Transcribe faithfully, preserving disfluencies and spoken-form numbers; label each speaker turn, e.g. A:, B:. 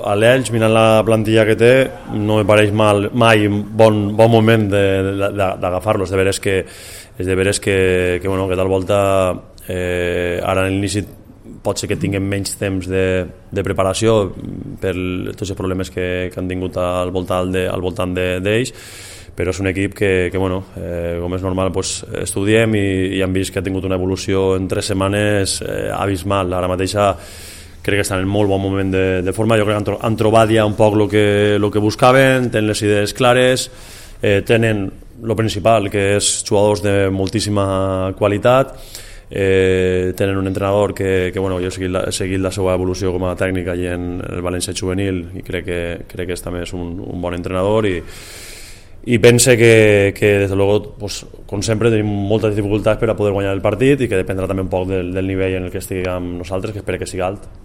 A: A l'Elx, mirant la plantilla que té, no me pareix mal, mai un bon, bon moment d'agafar-lo. És de veres que, és de veres que, que, bueno, que tal volta eh, ara en l'inici pot ser que tinguem menys temps de, de preparació per tots els problemes que, que han tingut al voltant de, al voltant d'ells, però és un equip que, que bueno, eh, com és normal, pues, estudiem i, i hem vist que ha tingut una evolució en tres setmanes eh, abismal. Ara mateixa crec que estan en molt bon moment de, de forma. Jo crec que han, han trobat ja un poc el que, lo que buscaven, tenen les idees clares, eh, tenen el principal, que és jugadors de moltíssima qualitat. Eh, tenen un entrenador que, que bueno, jo he seguit, la, he seguit la seva evolució com a tècnic allí en el València juvenil i crec que, crec que és, també és un, un bon entrenador i, i pense que, que des de luego, pues, com sempre tenim moltes dificultats per a poder guanyar el partit i que dependrà també un poc del, del nivell en el que estiguem nosaltres, que espero que sigui alt.